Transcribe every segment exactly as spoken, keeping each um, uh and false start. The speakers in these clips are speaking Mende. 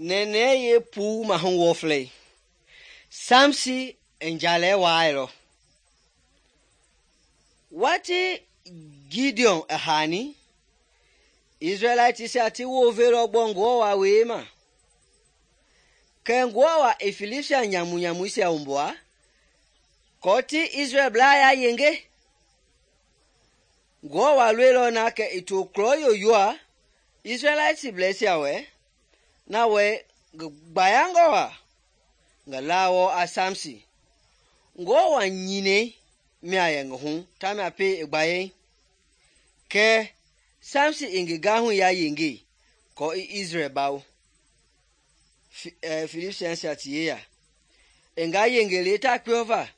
Nene ye puu mahu wɔflei. Samsi njale wailɔ. Wati Gideon a hani, Israelite ti wovelɔ gbɔ Ngewɔ wa wee ma. Kɛ Ngewɔ wa i Filistia nyamu-nyamuisia wumbua, kɔɔ ti Israel blaa ya yenge. Ngewɔ wa loilɔ na kɛ i to klɔ yoyoa Israelite blɛisia wɛ, na wɛ ngi gbayangɔ wa ngi laawɔ a Samsi. Ngewɔ wa nyinei mia yɛ ngi hu tamia pei i gbayei. Kɛ Samsi i ngi gahui ya yenge kɔɔ i Israel bawo. Filistiansia ti yeya. I nga yenge le ta kpeɔva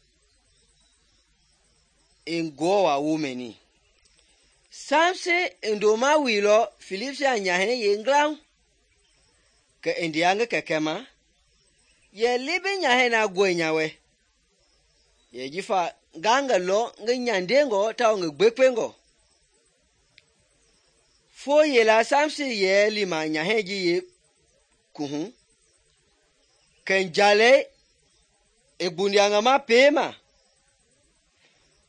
i Ngewɔ wa wo mɛni. Samsi i ndoma wuilɔ Filistia nyahɛi yenglau. Kɛ i ndia ngi kɛkɛ ma, yɛ libi nyahɛi na gɔi nya wɛ. Yɛ jifa nga ngi lɔ ngi nyandengɔ tawao ngi gbekpengɔ. Fo yela Samsi yɛ lima nyahɛi ji ye kuhu. Kɛ njalei i gbundia ngi ma pee ma.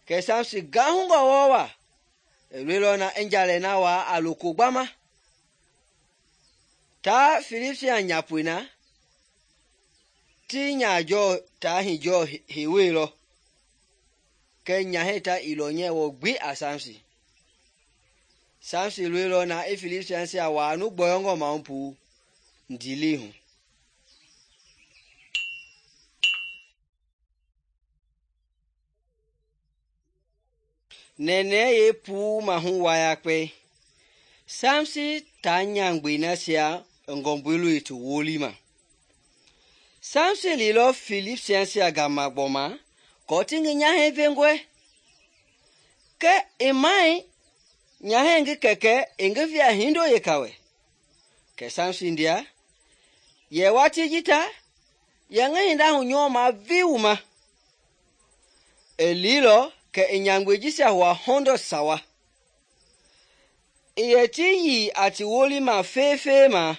Kɛ Samsi gahungɔ wɔ wa. I loilɔ na i njalei na waa a loko gbama. Ta Filistia nyapoi na, ti nyajɔ ta hijɔ heweilɔ. Kɛ nyahɛi ta i lɔ nyɛ wɔ gbi a Samsi. Samsi loilɔ na i Filistiansia waa nu gbɔyɔngɔ mahu puu ndili hu. Nene ye puu mahu wayakpe. Samsi ta nyangbei nasia ngɔmbului ti woli ma. Samsi lilɔ Filistiansia gama gbɔma kɔɔ ti ngi nyahɛi vengɔɛ. Kɛ i mai nyahɛi ngi kɛkɛ i ngi via hindo yeka wɛ. Kɛ Samsi ndia, yɛ wati ji ta, yɛ ngi hinda hu nyɔɔma vi wuma. I lilɔ kɛ i nyangbei jisia hua hundred sawa. I yɛ ti yi a ti woli ma feefee ma.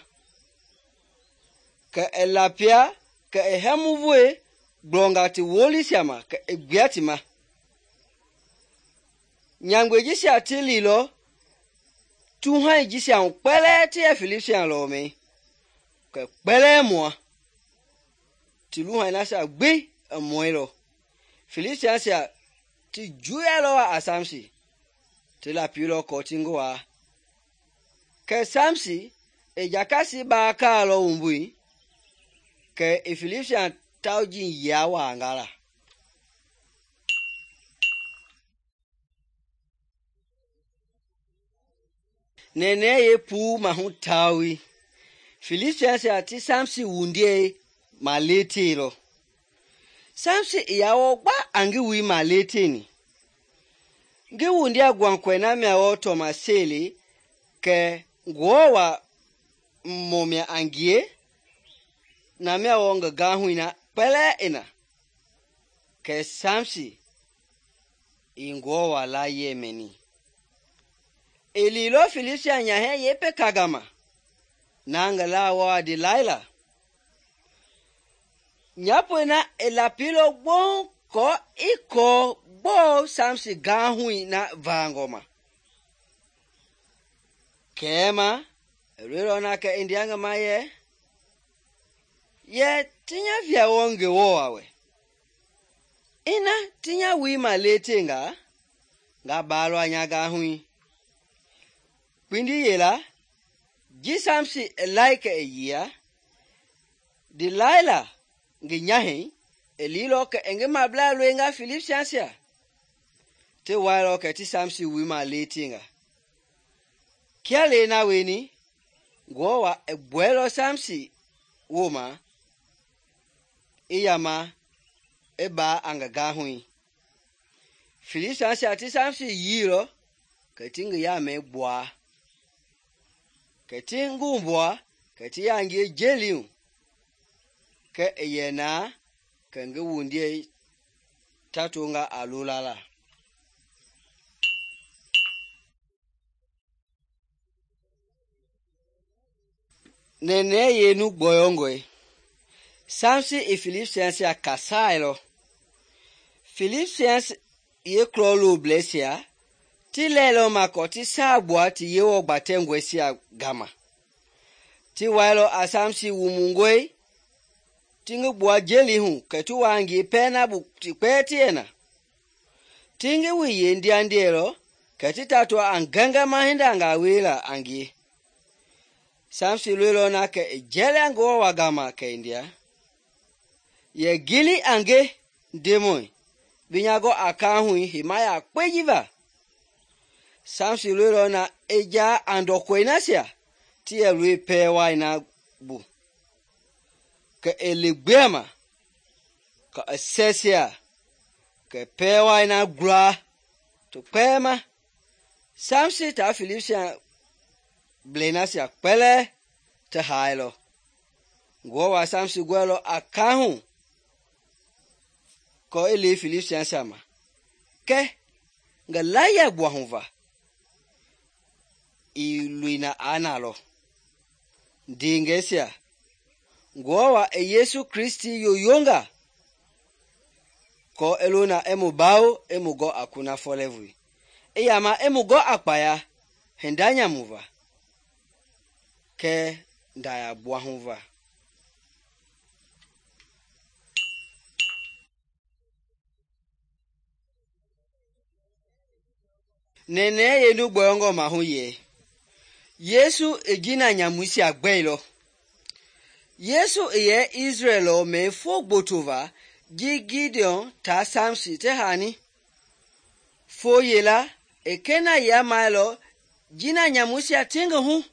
Kɛ i lapia kɛ i hɛmuvoe gblɔnga ti wolisia ma kɛ i gbia ti ma. Nyangbei jisia ti lilɔ tuhai jisia hu kpɛlɛɛ ti yɛ Filistia lɔmɛi. Kɛ kpɛlɛɛ mua. Ti luhai nasia gbi i mɔilɔ. Filistiansia ti juyalɔ wa a Samsi. Ti lapiilɔ kɔɔ ti ngi waa. Kɛ Samsi i jakasi baa kaalɔ wumbui. Kɛ i Filistia tauji yia waa ngala. Nene ye puu mahu tawi. Filistiansia ti Samsi wundie ma leteilɔ. Samsi i yawɔ gba a ngi wui ma leteni. Ngi wundia gwankɔi na mia wɔ tɔmaseli kɛ Ngewɔ wa mmɔmia a ngie na mia wɔ ngi gahui na kpɛlɛɛ ina. Kɛ Samsi i Ngewɔ wa la yɛ mɛni. I lilɔ Filistia nyahɛi yepe kagama na ngi laawɔ a Delilah. Nyapoi na i lapiilɔ gbɔɔ kɔɔ i kɔɔ gbɔɔ Samsi gahui na vaangɔ ma. Kɛɛma i loilɔ na kɛ i ndia ngi ma yɛ, yɛ ti nya via wɔ Ngewɔ wa wɛ. Ina ti nya wui ma letenga, nga baalɔ a nya gahui. Kpindi yela, ji Samsi i lai kɛ i yia, Delilah ngi nyahɛi i lilɔ kɛ i ngi mabla loenga Filistiansia. Ti wailɔ kɛ ti Samsi wui ma letenga. Kia le na weni, Ngewɔ wa i gbɔɛlɔ Samsi woma, i yama i baa a ngi gahui. Filistiansia ti Samsi yiilɔ kɛ ti ngi yamɛi gbɔa. Kɛ ti ngi wumbua kɛ ti yangie jeliu. Kɛ i yɛ naa kɛ ngi wundie tatonga a lola la. nene yenu gbɔyɔngɔe Samson i Philistines a kasailɔ. Philistines ye klɔloblɛisia ti lɛilɔ ma kɔ ti saa gbua ti Yewɔ gbatɛngɔisia gama. Ti wailɔ a Samson wumungɔe ti ngi gbua jeli hu kɛ ti wa ngi pɛɛ na bu ti kpɛɛ ti yɛ na. Ti ngi wi yendiandiɛlɔ kɛ ti tatɔɔ a ngɛngɛma hindangaa wiela a ngie. Samson loilɔ na kɛ i jɛlɛ Ngewɔ wa gama kɛ i ndia. Yɛ gili a nge, Ndemɔi, bi nya gɔ a kahui heima yakpe ji va. Samson loilɔ na i jaa a ndɔkɔi nasia ti yɛ loi pɛɛ wai na bu. Kɛ i li gbea ma, kɛ i sɛsia, kɛ pɛɛ wai na gulaa ti kpɛɛ ma. Samson taa Philistine blei nasia kpɛlɛɛ ti haailɔ. Ngewɔ wa Samson gɔɛlɔ a kahu kɔ i li Philistines ma. Kɛ ngi layia gbua hu va, i loina a nalɔ. Ndeengɛisia, Ngewɔ wa i Yesu Kristi yoyonga kɔ i lona i mu bawo i mu gɔ a kunafɔlɛvui. I yama i mu gɔ a kpaya hinda nyamu va kɛ ndaya gbua hu va. Nene yenu gbɔyɔngɔ ma hu ye Yesu i jina nyamuisia gbɛilɔ. Yesu i yɛ Israel lɔ mɛ fo gboto va ji Gideon taa Samson ti hani. Fo yela i kena ya mailɔ jina nyamuisia ti ngi hu.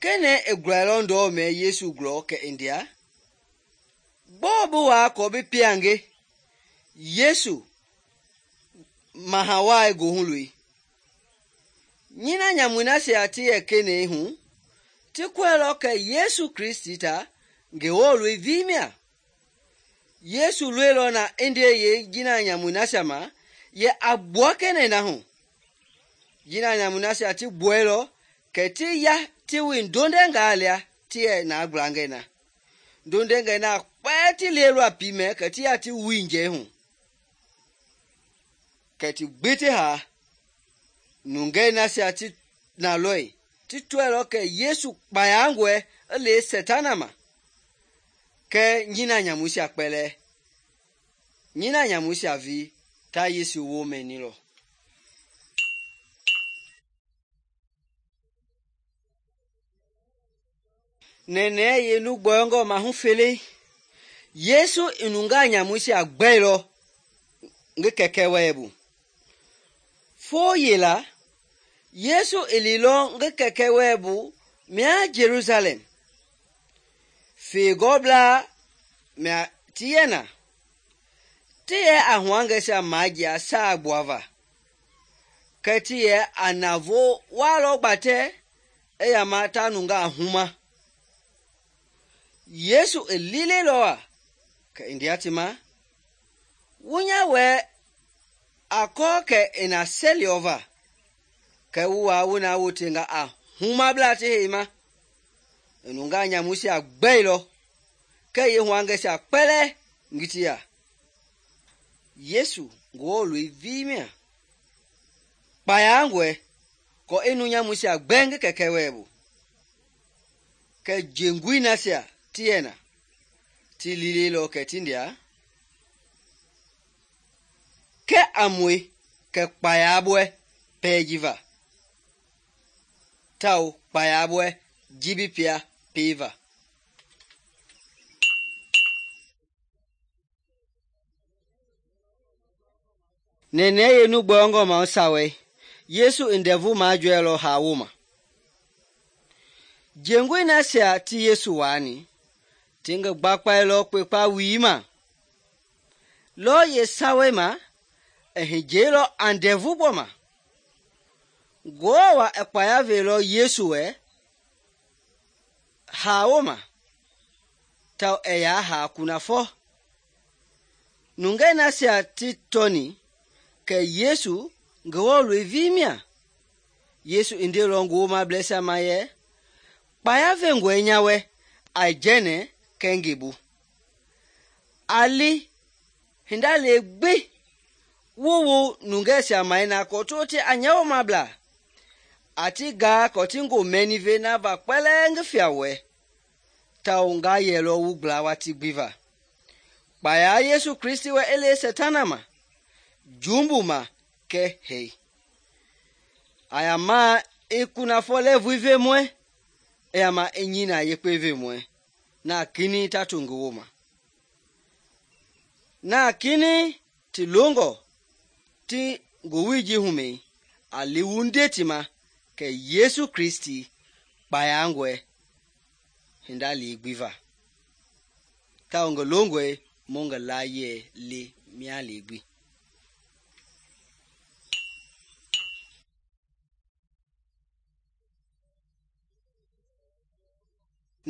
Kene i gulailɔ ndɔɔ mɛ Yesu gulɔ kɛ i ndia. Gbɔɔ bi waa kɔ bi piange Yesu maha wai gohu loi. Nyina nyamui nasia ti yɛ kene hu ti kɔɛlɔ kɛ Yesu Kristi ta Ngewɔ loi vimia. Yesu loilɔ na i ndee ye jina nyamui nasia ma yɛ a gbua kene na hu. Jina nyamui nasia ti gbuɛilɔ kɛ ti ya ti wi ndondɛngaa lia ti yɛ na gblangɛ na. Ndondɛngɛ na kpɛɛ ti lielɔ a pi mɛ kɛ ti ya ti wi njɛ hu. Kɛ ti gbi ti haa. Nungɛ nasia ti na lɔi ti tɔɛlɔ kɛ Yesu kpayangɔɛ i le Sɛtana ma. Kɛ nyina nyamuisia kpɛlɛɛ. Nyina nyamuisia vi ta Yesu wo mɛnilɔ. Nene yenu gbɔyɔngɔ ma hu fele. Yesu i nunga nyamuisia gbɛilɔ ngi kɛkɛ wɛɛ bu. Fo yela Yesu i lilɔ ngi kɛkɛ wɛɛ bu mia Jerusalem. Feegɔblaa mia ti yɛ na. Ti yɛ a huangɛsia majia saa gbua va. Kɛ ti yɛ a navo waalɔ gbatɛ i yama ta nunga huma. Yesu i lilelɔ a kɛ i ndia ti ma. Wunya wɛ a kɔɔ kɛ i na sɛliɔ va. Kɛ wu waa wu na wotenga a humabla ti heima. I nunga nyamuisia gbɛilɔ kɛ ye huangɛsia kpɛlɛɛ ngi ti ya. Yesu Ngewɔ loi vimia. Kpayangɔɛ kɔ i nu nyamuisia gbɛ ngi kɛkɛ wɛɛ bu. Kɛ jengui nasia ti yɛ na ti lilelɔ kɛ ti ndia. Kɛ a mue kɛ kpayabɔɛ pɛɛ ji va. Tao kpayabɔɛ jibi pia pee va. Nene yenu gbɔyɔngɔ ma sawɛ Yesu i ndɛvu majɔɛlɔ haa wo ma. Jengui nasia ti Yesu waani ti ngi gbakpailɔ kpekpa wii ma. Lɔ ye sawɛ ma i hijeelɔ a ndɛvu bɔ ma. Ngewɔ wa i kpaya veelɔ Yesu wɛ haa wo ma. Tao i yaa haa kunafɔ. Nungɛ nasia ti tɔni kɛ Yesu Ngewɔ loi vimia. Yesu i ndeelɔ ngi womablɛisia ma yɛ kpaya vengɔe nya wɛ a jɛnɛ kɛɛ ngebu. A li hinda le gbi wuwu nungɛisia mai na kɔ to ti a nyɛwomablaa a ti gaa kɔ ti ngo mɛni ve na va kpɛlɛɛ ngi fia wɛ tawo nga yɛlɔ wu gbla wati gbi va. Kpaya Yesu Kristi wɛ i le Satana ma, jumbu ma kɛ hei. A ya ma i kunafɔ lɛɛvui vemɔɛ, i ya ma i nyina yekpe vemɔɛ, na kini ta to ngi woma. Na kini ti longɔ ti ngowili ji humɛi, a li wu nde ti ma kɛ Yesu Kristi kpayangɔe hinda li gbi va. Tawo ngi longɔe mu ngi layɛ li mia li gbi.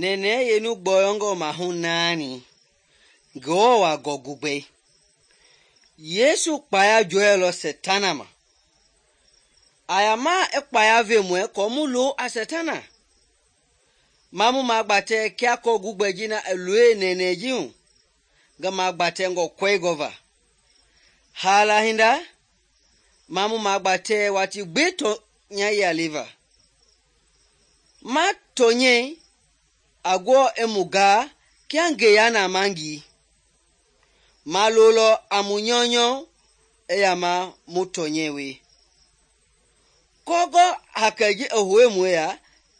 Nɛnɛ yenu gbɔyɔngɔ mahu naani Ngewɔ wa gɔgugbei. Yesu kpaya jɔɛlɔ Satana ma. A ya ma i kpaya vemɔɛ kɔ mu lo a Satana. Ma mu ma gbatɛ kia kɔ gugbɛ ji na i loe nɛnɛ ji hu, ngi ma gbatɛ ngɔ kɔi gɔva. Hala hinda, ma mu ma gbatɛ wati gbi tɔ nya ya liva. Ma tɔnyɛ a gɔ i mu gaa kia ngeya na mangi. Ma lolɔ a mu nyɔnyɔ i ya ma mu tɔnyɛ we. Kɔgɔ hakɛ ji i hoe mu ya,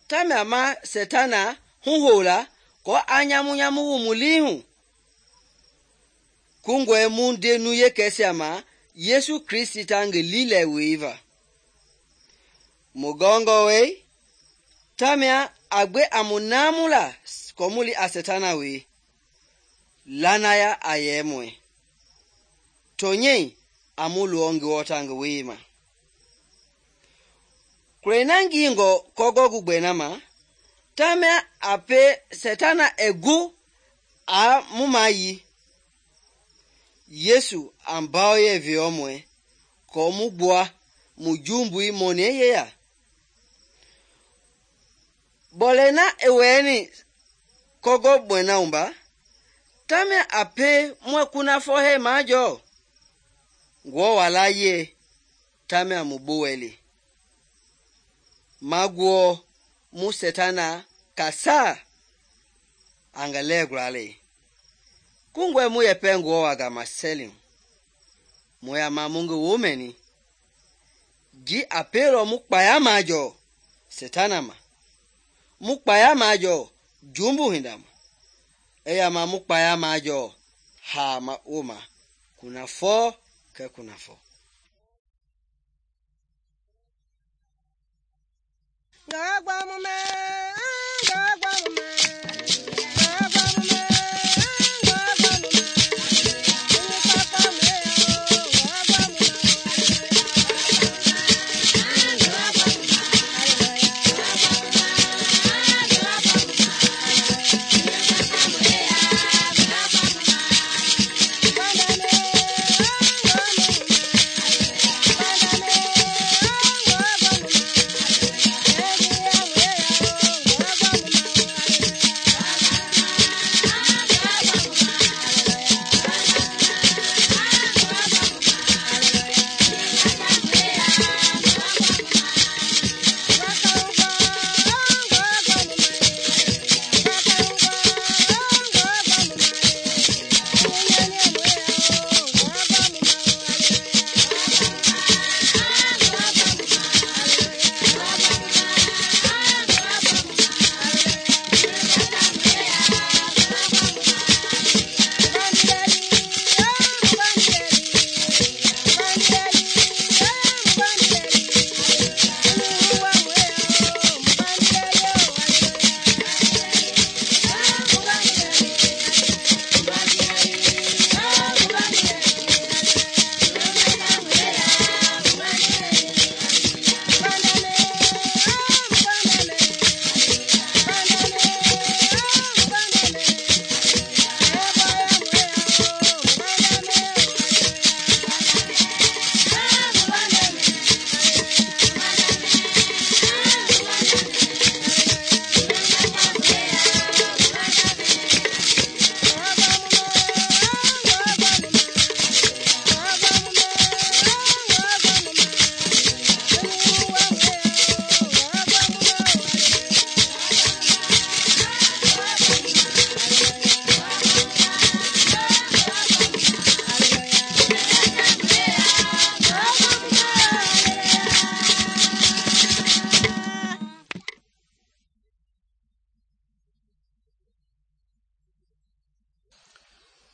tamia ma Satana huhola kɔ a nyamu nyamu wu mu lii hu. Kungɔe mu ndenu yekɛsia ma Yesu Kristi ta ngi lilɛ wei va. Mu gɔngɔ wei, tamia a gbe a mu naamu la kɔ mu li a Satana wei. Lanaya a yɛ mɔɛ. Tɔnyɛ a mu luɔ ngi wɔta ngi wei ma. Kure na ngi ngɔ kɔgɔ gugbɛ na ma, tamia a pe Satana egu a mu ma yi. Yesu a mbao yɛ viɔ mɔɛ kɔ mu gbua mu jumbui mɔniɛ yeya. Bɔlɛ na i wɛni kɔgɔ gbɛ na umba, tamia a pe mu kunafɔ hɛ majɔ. Ngwɔ wa la yɛ, tamia mu gbowɛli. Ma guɔ mu Satana kasa a ngi lɛ grale. Kungɔe mu yɛ pɛ ngwɔ wa gama sɛlim. Mu ya ma mu ngi wo mɛni. Ji a pelɔ mu kpaya majɔ Satana ma. Mu kpaya majɔ jumbu hinda ma. E ya ma mu kpaya majɔ ha ma o ma. Kunafɔ kɛ kunafɔ. Gagba mu me, gagba mu me. Oh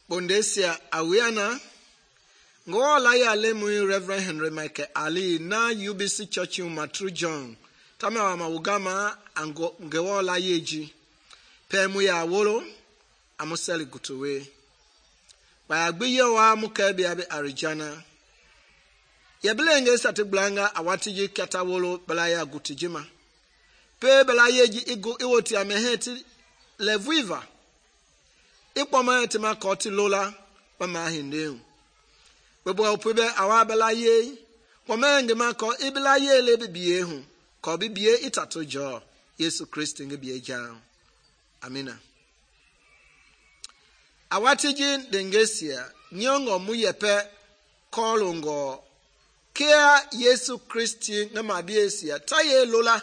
Bondesia awiana ngo la ya le mu Reverend Henry Michael Ali na U B C Church in Matru John tama wa mawugama ango ngewo la yeji pe mu ya wolo amuseli gutowe ba agbiye wa mu ka bia be Arijana ye blenge sate blanga awatiji kata wolo bala ya gutijima pe bala yeji igo iwoti ameheti levuiva ikpoma etima koti lola mama hindeu bebo opebe awabela ye wamenge mako ibela ye le bibie hu ko bibie itato jo Yesu Kristo nge bie ja amina awatiji dengesia nyongo muyepe kolongo kia Yesu Kristo nge mabiesia taye lola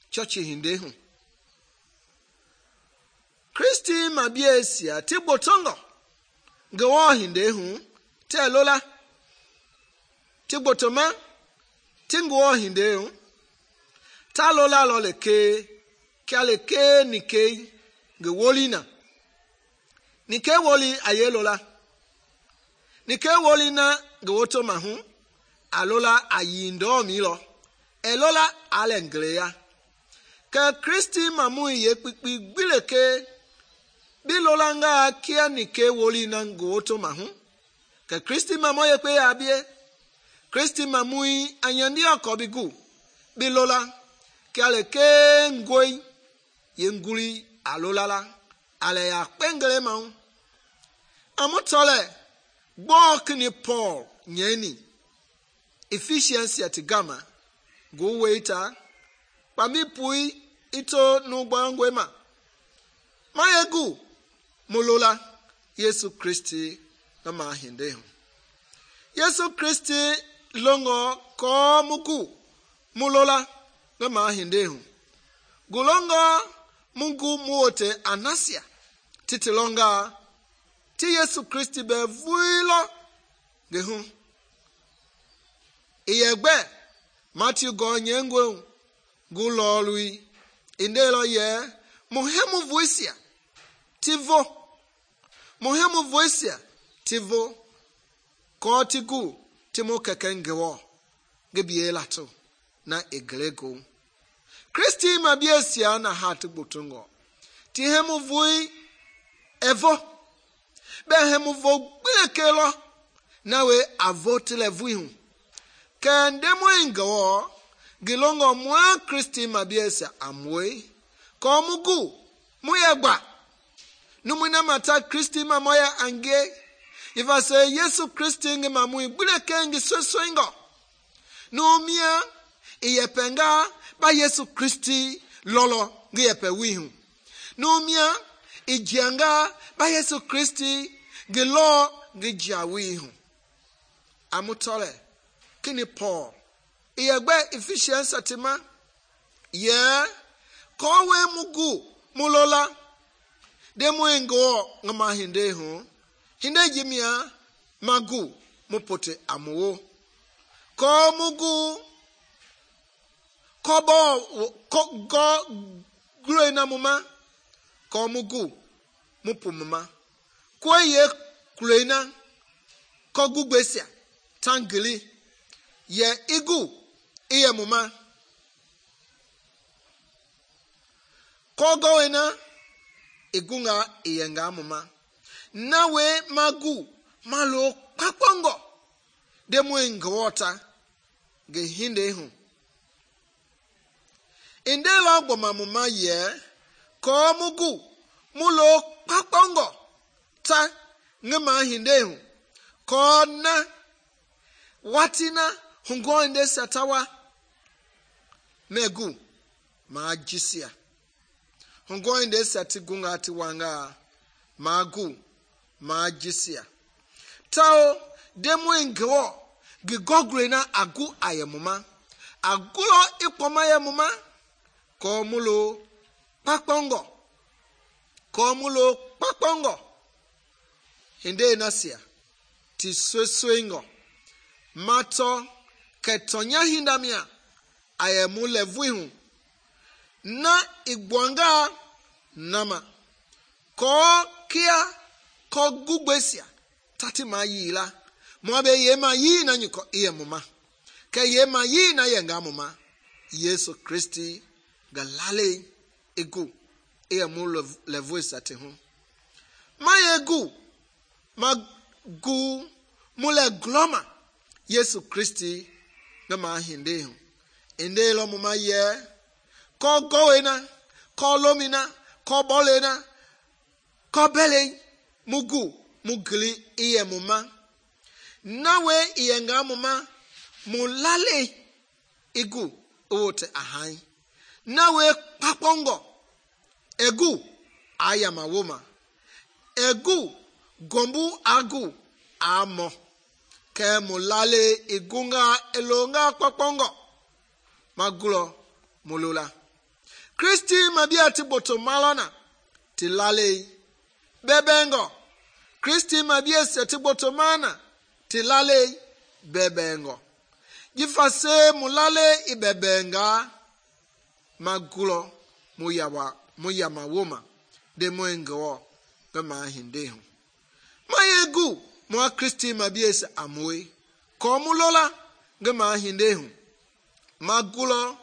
chochi hindehu Kristi mabiesia tibotongo ngewo hindehu te lola tibotoma tingo hindehu ta lola loleke kaleke nike ngewolina nike woli ayelola nike wolina ngewoto mahu alola ayindo milo elola alengleya ka Kristi mamu ye kpikpi gbileke bilolanga kia nike wolina ngoto mahu ka Kristi mamu ye pe abie Kristi mamu anyandi akobigu bilola kale ke ngoi yenguli alolala ale ya pengele mahu amotole gbokni Paul nyeni Ephesians ya tigama go waiter pami pui ito nugbangwe ma mayegu mulola Yesu Kristi na mahinde Yesu Kristi longo ko mugu mulola na mahinde gulonga mungu muote anasia titilonga ti Yesu Kristi be vuilo gehu iyegbe Matthew go nyengwe gulolui indelo ye muhemu voisia tivo muhemu voisia tivo kotigu timo kekengewo gebielato na eglego Kristi mabiesia na hatu butungo tihemu vui evo behemu vo gbekelo nawe avotile vuihu kendemo ingawo gilongo mwa Kristi mabiesia amwe komugu muyegba numuna mata Kristi mamoya ange ifa se Yesu Kristi nge mamu gbuleke nge sosoingo numia iyepenga ba Yesu Kristi lolo nge yepe wihu numia ijianga ba Yesu Kristi nge lo nge jawihu amutole kini Paul iyegbe Ephesians atima ye kowe mugu mulola demo ngo ngama hinde hu hinde jimia magu mupote amuwo ko mugu kobo ko go grena muma ko mugu mupumuma ko ye grena ko gugbesia tangili ye igu iye muma ko goena igunga iyenga muma nawe magu malo papongo demo ingwota ge hinde hu indelo gboma muma ye ko mugu mulo papongo ta ngema hinde hu ko na watina hungo inde satawa megu majisia hungo inde sati gunga ati wanga magu majisia tao demo ingwo gigogre na agu ayemuma agulo ikpoma yemuma ko mulo papongo ko mulo papongo hinde nasia ti sweswengo mato ketonya hindamia ayemu levuihu na igwanga nama ko kia ko gugbesia tati ma yi la mo be ye ma yi na nyiko ye muma ke ye ma yi na ye nga muma Yesu Kristi ga lale egu e mu le voice ate ho ma egu ma gu mu le gloma Yesu Kristi ga ma hinde ho ende lo muma ye ko goena ko lomina ko bolena ko bele mugu mugli iye muma nawe iye nga muma mulale igu ote ahai nawe papongo egu ayama woma egu gombu agu amo ke mulale igunga elonga papongo magulo mulula Kristi mabia ti boto malona ti lale bebengo Kristi mabia se ti boto mana ti lale bebengo jifase mulale ibebenga magulo muyawa muyama woma de moengo be ma hinde ho mayegu mo Kristi mabia se amwe ko mulola ge ma hinde ho magulo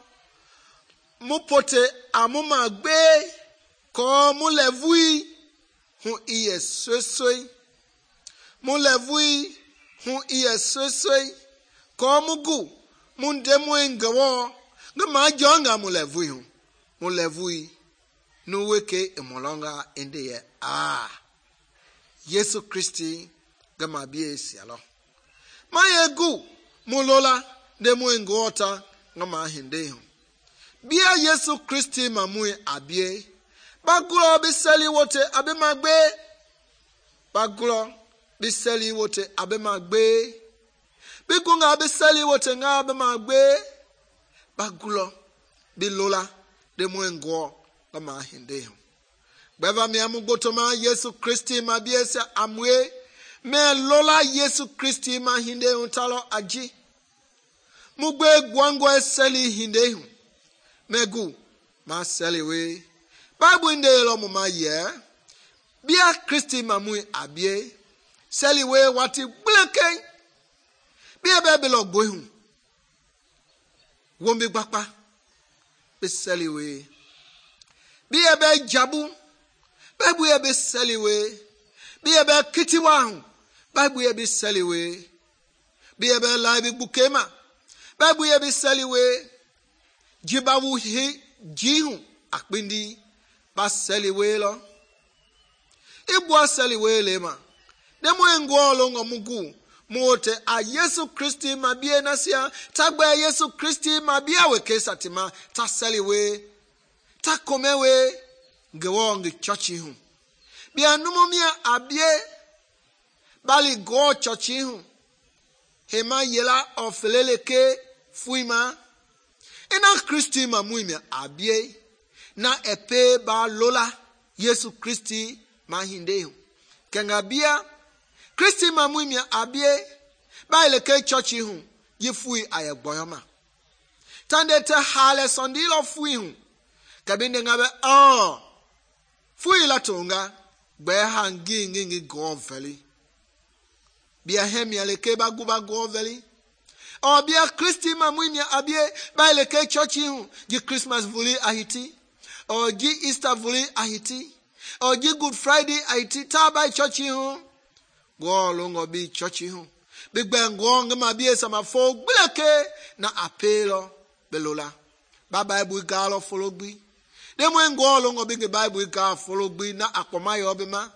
mupote amuma gbe ko mulevui hu iye sosoi mulevui hu iye sosoi ko mugu mundemu ngawo ngama jonga mulevui hu mulevui no weke emolonga ende ye ah Yesu Kristi gama bie sialo mayegu mulola demu ngota ngama hinde hu bia Yesu Kristi mamui abie bagulo biseli wote abe magbe bagulo biseli wote abe magbe bigunga biseli wote nga abe magbe bagulo bilola de mwengo kama hinde beva mi amu gotoma Yesu Kristi mabie se amwe me lola Yesu Kristi ma hinde untalo aji mugbe gwango eseli hinde hu megu ma seliwe Bible inde lo mama ye bia Kristi mamui abie seliwe wati bleke bia bebe lo gbohun wombi gbapa be seliwe bia be jabu Bible ye be seliwe bia be kitiwa hu Bible ye be seliwe bia be laibi bukema Bible ye be seliwe jibawu hi jihu akpindi ba seliwe lo ibu seliwe le ma demo engolo ngomugu mote a Yesu Kristi mabie nasia tagba Yesu Kristi mabia weke satima ta seliwe ta komewe gewo ngi churchi hu bia numomia abie bali go churchi hu hema yela ofeleleke fuima ina Kristi mamui abie na epe ba lola Yesu Kristi mahinde kenga bia Kristi mamui abie ba ileke church hu yifui ayegboyoma tande te hale sondilo fui hu kabinde ngabe oh fui la tonga gbe hangi ngingi go veli bia hemia leke ba guba go veli o bia Kristi mamui abie ba ileke church hu ji Christmas vuli ahiti o ji Easter vuli ahiti o ji Good Friday ahiti ta ba church hu go longo bi church hu big bang go ngama bie sama fo bleke na apelo belola ba Bible galo follow bi de mo ngo longo bi Bible ga follow bi na akoma yo bema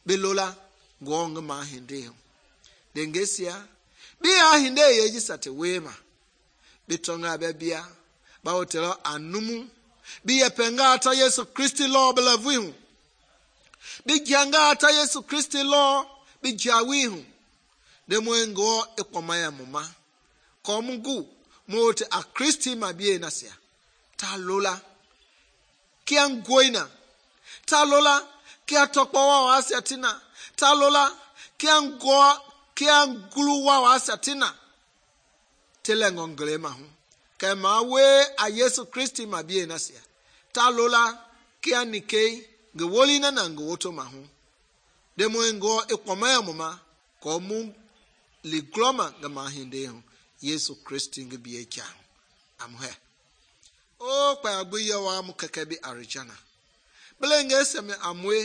belola go ngama hinde de ngesia bi ahinde ye ji sate wema bitonga be bia ba hotelo anumu bi yepenga ata Yesu Kristi lo belavu hu bi janga ata Yesu Kristi lo bi jawi hu de mwengo ekwamaya muma ko mungu mote a Kristi mabie nasia ta lola kia ngoina ta lola kia tokwa wa asatina ta lola kia ngo kia ngulu wa asatina telengo nglema hu kema we a Yesu Kristi mabie nasia ta lola kia nikei ngewoli na na ngoto mahu de mo ngo ikpoma mama ko mu li gloma gama hinde ho Yesu Kristi ngi biye cha am he o pa agbuye wa mu keke bi arijana belenge seme amwe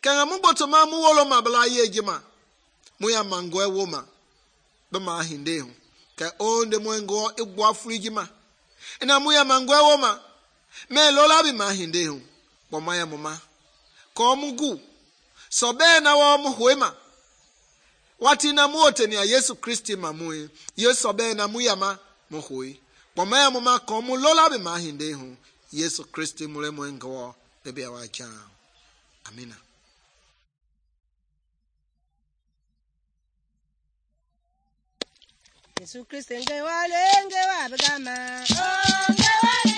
kanga mu botoma mu wolo ma bla yejima mu ya mango ewo ma be ma hinde ho ka onde mo ngo igbo afrijima ina mu ya mango ewo ma me lola bi ma hinde ho kpoma ya mama ko mu gu so be na wo mu hoema wati na mu oteni ya Yesu Kristi mamu Yesu be na mu ya ma mu hoi kpoma ya mama ko mu lola bi ma hinde ho Yesu Kristi mu le mo ngo de be wa cha amina. Yesu Kristi nge wale nge wabgama oh nge wale